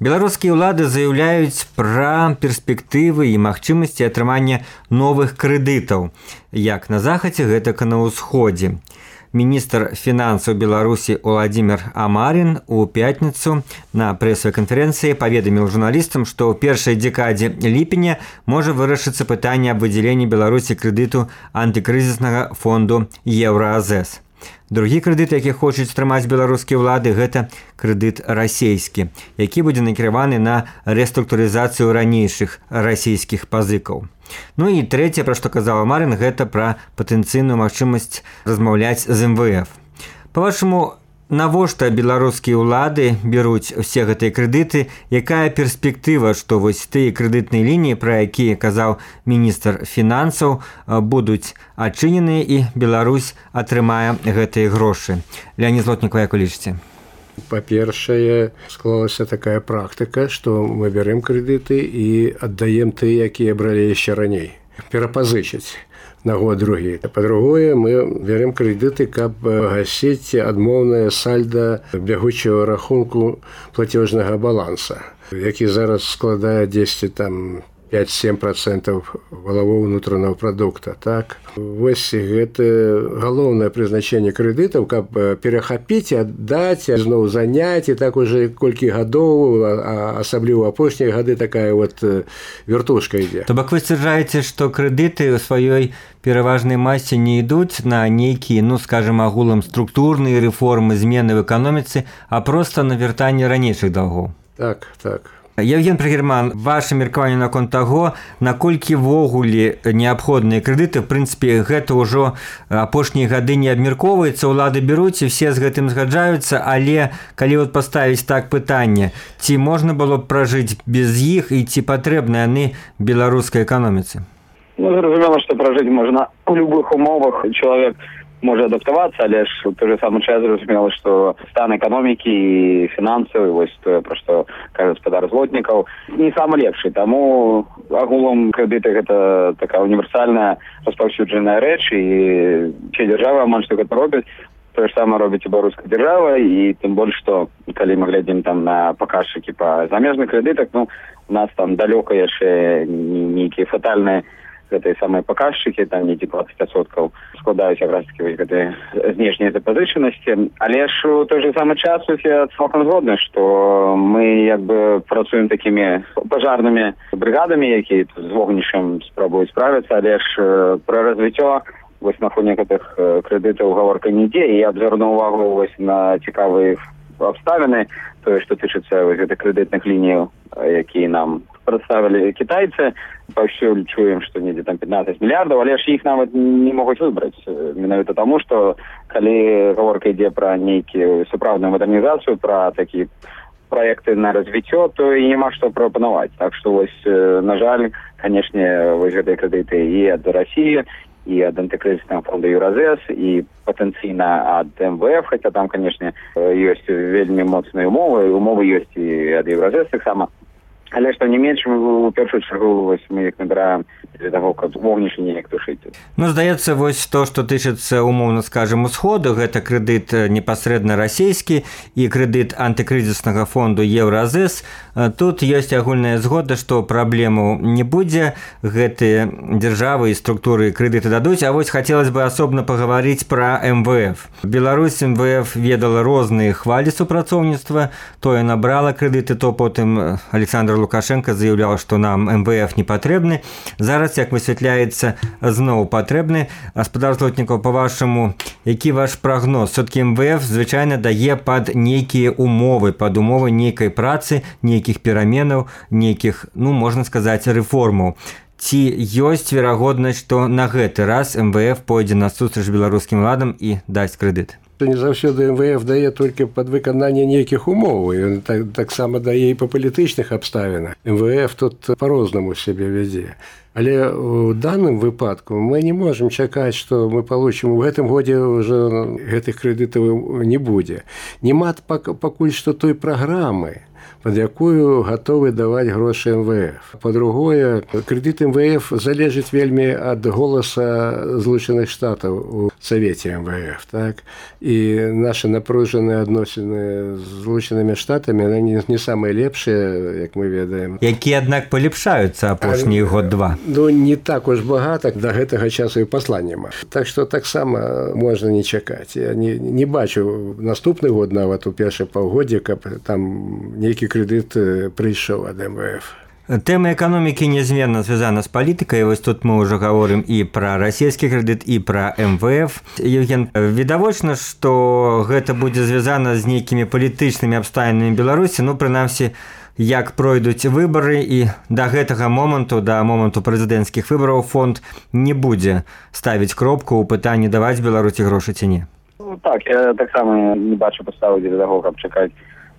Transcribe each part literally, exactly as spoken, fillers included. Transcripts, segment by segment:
Беларускія ўлады заяўляюць пра перспектывы і магчымасці атрымання новых крэдытаў, як на захадзе, гэтак і на ўсходзе. Міністр фінансаў Беларусі Уладзімір Амарін у пятніцу на прэсавай канферэнцыі паведаміў журналістам, што ў першай дзекадзе ліпеня можа вырашыцца пытанне аб выдзяленні Беларусі крэдыту антыкрызіснага фонду Еўразэс. Другі крэдыт, які хочуць стрымаць беларускія ўлады, гэта крэдыт расійскі, які будзе накіраваны на рэструктурызацыю ранейшых расійскіх пазыкаў. Ну і трэцяе, пра што казаў Амарін, гэта пра патэнцыйную магчымасць размаўляць з эм вэ эф. Па-вашаму, навошта беларускія ўлады беруць усе гэтыя крэдыты? Якая перспектыва, што вось тыя крэдытныя лініі, пра якія казаў міністр фінансаў, будуць адчыненыя і Беларусь атрымае гэтыя грошы? Леонид Злотніков, як вы лічыце? Па-першае, склалася такая практыка, што мы бярем крэдыты і аддаем тыя, якія бралі яшчэ раней. Перапазычыць на год другі. Па-другое, мы бярем крэдыты, каб гасіць адмоўнае сальда бягучага рахунку плацежнага баланса, які зараз складае дзесьці там пяць-сем працэнтаў валавога ўнутранага прадукта. Так? Вось гэта галоўнае прызначэнне крэдытаў, каб перахапіць, аддаць, зноў заняць, і так уже колькі гадоў, а асабліва апошнія гады такая вот вертушка ідзе. То бок вы сцвярджаеце, што крэдыты ў сваёй пераважнай масе не ідуць на нейкія, ну, скажем, агулам структурныя рэформы, змены в эканоміцы, а проста на вяртанне ранейшых даўгоў. Так, так. Евген Прагерман, ваше меркаванне наконт таго, наколькі ввогуле неабходныя крэдыты, в прынцыпе, гэта ўжо апошнія гады не абмяркоўваецца, улады беруць і все з гэтым згаджаюцца, але калі вот паставіць так пытанне, ці можна было б пражыць без іх і ці патрэбны яны беларускай эканоміцы? Ну, зразумела, што пражыць можна у любых умовах. Чалавек можа адаптавацца, але ж у той же самы час зразумела, што стан эканомікі і фінансавы, вось тое, пра што кажа гаспадар Злотнікаў, не самы лепшы. Таму агулам крэдыты гэта такая універсальная распаўсюджаная рэч, і усе дзяржавы амаль што гэта робяць. Тое ж самае робіць і беларуская дзяржава, і тым больш, што калі мы глядзім там на паказчыкі па замежных крэдытах, ну, у нас там далёка яшчэ нейкія фатальныя гэтыя самыя паказчыкі, там нейкі дваццаць адсоткаў складаюць якраз такі вось гэтыя знешнія запазычанасці. Але ж у той же самы час я цалкам згодны, што мы як бы працуем такімі пажарнымі брыгадамі, якія з вогнішчам спрабуюць справіцца, але ж пра развіццё вось на фоне гэтых крэдытаў гаворка не ідзе, і я б звярнуў увагу вось на цікавыя абставіны, тое, што тычыцца вось гэтых крэдытных ліній, якія нам прадставілі кітайцы. Паўсюль чуем, што недзе там пятнаццаць мільярдаў, але ж іх нават не могуць выбраць. Менавіта таму, што калі гаворка ідзе пра нейкую сапраўдную мадэрнізацыю, пра такі праекты на развіццё, то і няма што прапанаваць. Так што вось, на жаль, канешне, вось гэтыя крэдыты і ад Расіі, і ад антыкрызіснага фонду Еўразэс, і патэнцыйна ад эм вэ эф, хаця там, канешне, ёсць вельмі моцныя умовы, умовы ёсць і ад Еўразэс таксама. Але што не менш, у першую чаргу вось мы іх набіраем для таго, каб вогнішча неяк тушыць. Ну, здаецца, вось то, што тычыцца, умоўна скажам, усходу, гэта крэдыт непасрэдна расійскі і крэдыт антыкрызіснага фонду Еўразэс. Тут ёсць агульная згода, што праблему не будзе, гэтыя дзяржавы і структуры крэдыты дадуць, а вось хацелось бы асобна пагаварыць пра эм вэ эф. Беларусь эм вэ эф ведала розныя хвалі супрацоўніцтва, тое набрала крэдыты, то потым Александр Лукашенко заяўляў, што нам эм вэ эф не патрэбны. Зараз, як высвятляецца, зноў патрэбны. Гаспадар Злотнікаў, па-вашаму, які ваш прагноз? Все-таки эм вэ эф звычайна дае пад нейкія умовы, пад умовы нейкай працы, нейкіх пераменаў, нейкіх, ну, можна сказаць, рэформаў. Ці ёсць верагоднасць, што на гэты раз эм вэ эф пойдзе насустрач беларускім уладам і дасць крэдыт? Не заўсёды эм вэ эф дае толькі пад выкананне нейкіх умоў, ён так, таксама дае і па палітычных абставінах. эм вэ эф тут по-рознаму сябе вядзе. Але ў данным выпадку мы не можам чакаць, што мы получым у гэтым годзе ўжо гэтых крэдытаў не будзе. Нема пакуль што той праграмы, под якую гатовы даваць грошы эм вэ эф. Па-другое, крэдыт эм вэ эф залежыць вельмі ад голаса Злучаных Штатаў у Савеце эм вэ эф. Так? І нашы напружаныя адносіны з Злучанымі Штатамі яны не самыя лепшыя, як мы ведаем. Якія, аднак, палепшаюцца апошні год-два. Ну, не так уж багата, да гэтага часу і пасла няма. Так што таксама можна не чакаць. Я не, не бачу наступны год нават у першае паўгоддзе, каб там нейкі крэдыт прыйшоў ад эм вэ эф. Тэма эканомікі нязменна звязана з палітыкай. Вось тут мы ўжо гаворым і пра расійскі крэдыт, і пра эм вэ эф. Евген, відавочна, што гэта будзе звязана з нейкімі палітычнымі абставінамі Беларусі, ну, прынамсі, як пройдуць выбары, і да гэтага моманту, да моманту прэзідэнцкіх выбараў фонд не будзе ставіць кропку ў пытанні даваць Беларусі грошы ці не. Ну, так, я таксама не бачу паставы для таго, каб чакаць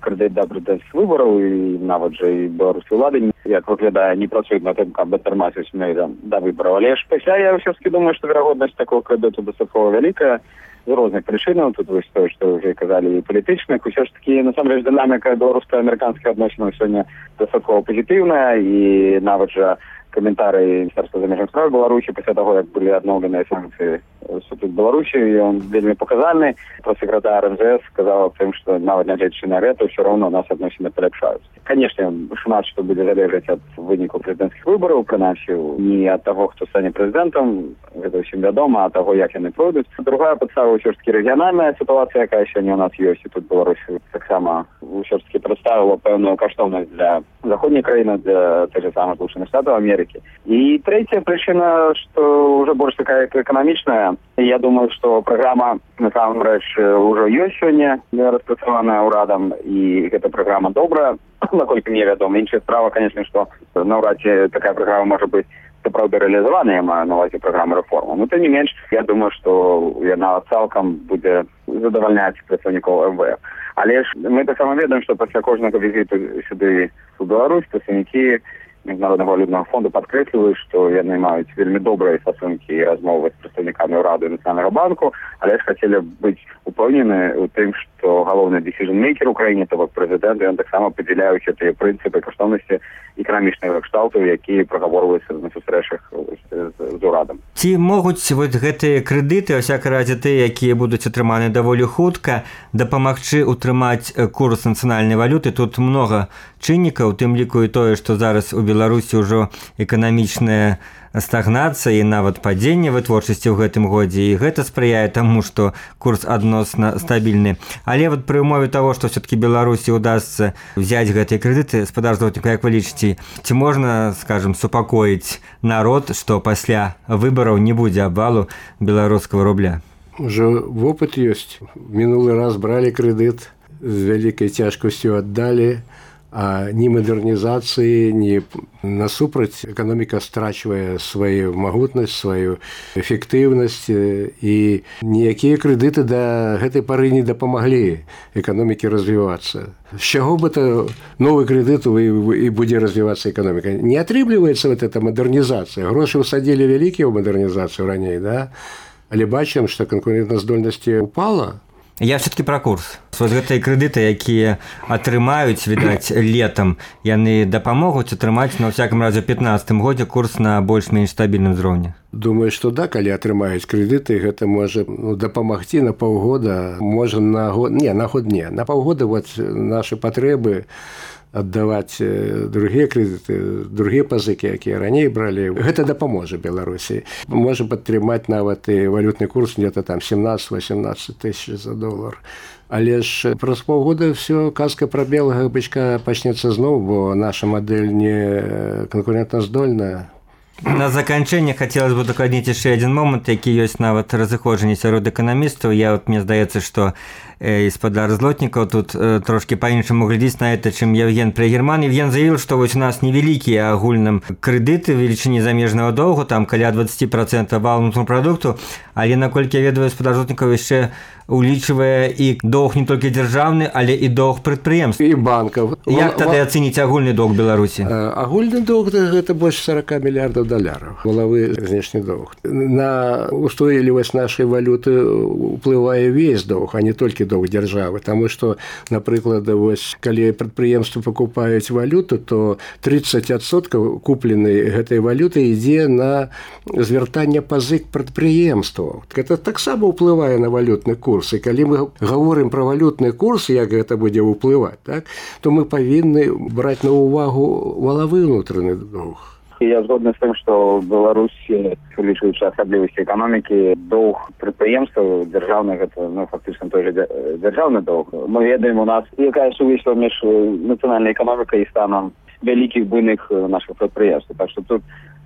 крэдыт да прэзідэнцкіх выбараў, і нават жа і беларускай улады, як выглядае, не працуюць на тым, каб датармасіць да выбараў. Але ж пасля я ўсё-таки думаю, што верагоднасць такого крэдыту дастаткова вялікая з розных прычынаў. Тут вось тое, што ўжо казалі, і палітычных. Усё ж такі, насамрэч, дынаміка беларуска-амерыканскіх адносінаў сёння дастаткова пазітыўная, і нават жа каментары Міністэрства замежных спраў Беларусі пасля таго, як былі адноўленыя санкцыі супраць Беларусі, ён вельмі паказальны. Сакратар эм зэ эс сказаў аб тым, што нават нягледзячы на гэта, ўсё роўна у нас адносіны паляпшаюцца. Канешне, шмат што будзе залежаць ад выніку прэзідэнцкіх выбараў, прынамсі, не ад таго, хто стане прэзідэнтам, гэта ўсім вядома, а таго, як яны пройдуць. Другая падстава ўсё ж такі рэгіянальная сітуацыя, якая сёння у нас ёсць, і тут Беларусі таксама ўсё ж такі прадставіла пэўную каштоўнасць для заходняй краіны, для тых же самых Злучаных Штатаў Амерыкі. І трэцяя прычына, што ўжо больш такая эканамічная. Я думаю, што праграма насамрэч ўжо ёсць сёння распрацаваная ўрадам, і гэта праграма добрая, наколькі мне вядома. Іншая справа, канешне, што наўрад ці такая праграма можа быць сапраўды рэалізаваная, я маю на ўвазе праграма рэформы. Ну, тым не менш, я думаю, што яна цалкам будзе задавальняць прадстаўнікоў эм вэ эф. Але ж мы таксама ведаем, што пасля кожнага візіту сюды у Беларусь прадстаўнікі Міжнароднага валютнага фонду падкрэсліваюць, што яны маюць вельмі добрыя стасункі і размовы з прадстаўнікамі ўраду і Нацыянальнага банку, але ж хацелі быць упэўнены ў тым, што галоўны дзесіжн-мейкер у краіне, то бок прэзідэнт, ён таксама падзяляюць гэтыя прынцыпы каштоўнасці эканамічнага кшталту, якія прагаворваюцца на сустрэчах з урадам. Ці могуць вот гэтыя крэдыты, у всякай разе тыя, якія будуць атрыманы даволі хутка, дапамагчы утрымаць курс нацыянальнай валюты? Тут многа чыннікаў, тым ліку і тое, што зараз у Беларусі ўжо эканамічная стагнацыя і нават падзенне вытворчасці ў гэтым годзе, і гэта спрыяе таму, што курс адносна стабільны. Але вот пры ўмове таго, што все-таки Беларусі удасца взять гэтыя крэдыты, спадар Злотнікаў, як вы лічыце, ці можна, скажем, супакоіць народ, што пасля выбараў не будзе абвалу беларускага рубля? Уже вопыт ёсць. Мінулы раз бралі крэдыт, з вялікай цяжкасцю аддалі, а ні мадэрнізацыі, ні насупраць эканоміка страчвае сваю магутнасць, сваю эфектыўнасць, і ніякія крэдыты да гэтай пары не дапамаглі эканомікі развівацца. З чаго бы то новы крэдыт і будзе развівацца эканоміка? Не атрымліваецца вот эта мадэрнізацыя. Грошы ўсадзілі вялікія ў мадэрнізацыю раней, да? Але бачым, што канкурэнтаздольнасць упала. Я все-таки пра курс. Вось гэтыя крэдыты, якія атрымаюць, відаць, летам, яны дапамогуць атрымаць, на ўсякім разе, у пятнаццатым годзе курс на больш-менш стабільным узроўні. Думаю, што да, калі атрымаюць крэдыты, гэта можа ну, дапамагці на паўгода, можа на год, не, на год не. На паўгода вот нашы патрэбы аддаваць другія крэдыты, другія пазыкі, якія раней бралі. Гэта дапаможа Беларусі. Можа падтрымаць нават і валютны курс где-то там семнаццаць-восемнаццаць тысяч за долар. Але ж праз паўгода все казка пра белага бычка пачнецца зноў, бо наша мадэль не канкурэнтаздольная. На заканчэнне хацелася бы дакладніць яшчэ адзін момант, які ёсць нават разыходжанне сярод эканамістаў. Я вот мне здаецца, што э, спадар Злотнікаў тут э, трошки па-іншаму глядзіць на это, чым Евген Прыгерман. Евген заявіў, што вось у нас невялікія агульным крэдыты велічыні замежнага доўгу, там каля дваццаць працэнтаў валовага прадукту, але наколькі я ведаю, спадар Злотнікаў яшчэ улічвае і доўг не толькі дзяржаўны, але і доўг прадпрыемств і банкаў. Як тады ацэніць агульны доўг Беларусі? Агульны доўг гэта больш сорок мільярдаў даляраў валавы знешні доўг. На устойлівасць нашай валюты уплывае весь доўг, а не толькі доўг дзяржавы, таму што, напрыклад, вось калі прадпрыемствы пакупаюць валюту, то тридцать адсоткаў купленай гэтай валюты ідзе на звяртанне пазык прадпрыемстваў. Гэта таксама ўплывае на валютны курс. І калі мы гаворым пра валютны курс, як гэта будзе ўплываць, так, то мы павінны браць на ўвагу валавы ўнутраны доўг. Я згодны з тым, што ў Беларусі, улічваючы асаблівасці эканомікі, доўг прадпрыемстваў дзяржаўных гэта ну, фактычна той жа дзяржаўны доўг. Мы ведаем у нас, якая сувязь паміж нацыянальнай эканомікай і станам вялікіх буйных наших прадпрыемстваў. Так што тут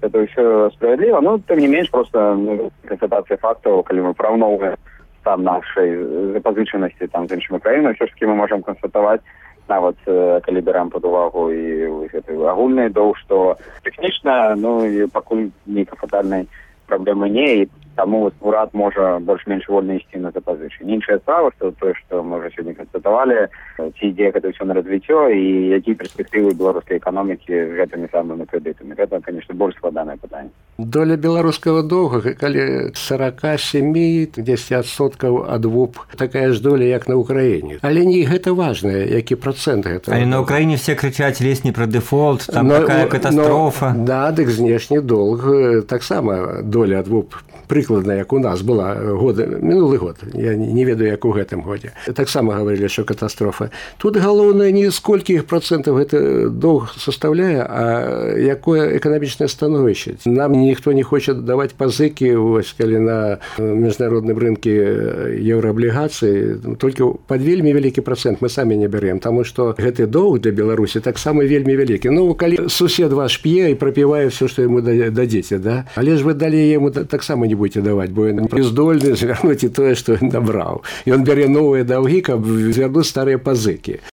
это ўсё справядліва, но тым не менш просто ну, констатацыя фактаў, калі мы параўноўваем стан нашай запазычанасці там з іншымі краінамі, ўсё ж такі мы можам канстатаваць, нават калі берам пад увагу і гэты агульны доўг, што тэхнічна ну і пакуль нейкай фатальнай праблемы не, і таму урад можа больш-менш вольна ісці на запазычанне. Іншая справа, што тое, што мы ўжо сёння канстатавалі, ці ідзе гэта ўсё на развіццё і якія перспектывы беларускай эканомікі з гэтымі самымі крэдытамі. Гэта, конечно, больш складанае пытанне. Доля беларускага доўга, калі сорок семь адсоткаў ад ВУП, такая ж доля, як на Украіне. Але не гэта важна, які працэнт гэта. Але на Украіне все крычаць лезь не пра дэфолт, там но, такая катастрофа. Но, да, дык знешні доўг таксама доля ад ВУП прыкладна, як у нас была год, мінулы год, я не ведаю, як у гэтым годзе. Таксама гаварылі, што катастрофа. Тут галоўнае не сколькі іх працэнтаў гэта доўг састаўляе, а якое эканамічнае становішча. Нам ніхто не хоча даваць пазыкі, вось, калі на міжнародным рынке еўрааблігацыі, толькі пад вельмі вялікі працэнт мы самі не бярем, таму што гэты доўг для Беларусі таксама вельмі вялікі. Ну, калі сусед ваш п'е і прапівае ўсё, што яму дадзеце, да? Але ж вы далей яму таксама не будете даваць, бо ён не здольны звярнуць і тое, што ён набраў. Ён бярэ новыя даўгі, каб звярнуць старыя пазыкі.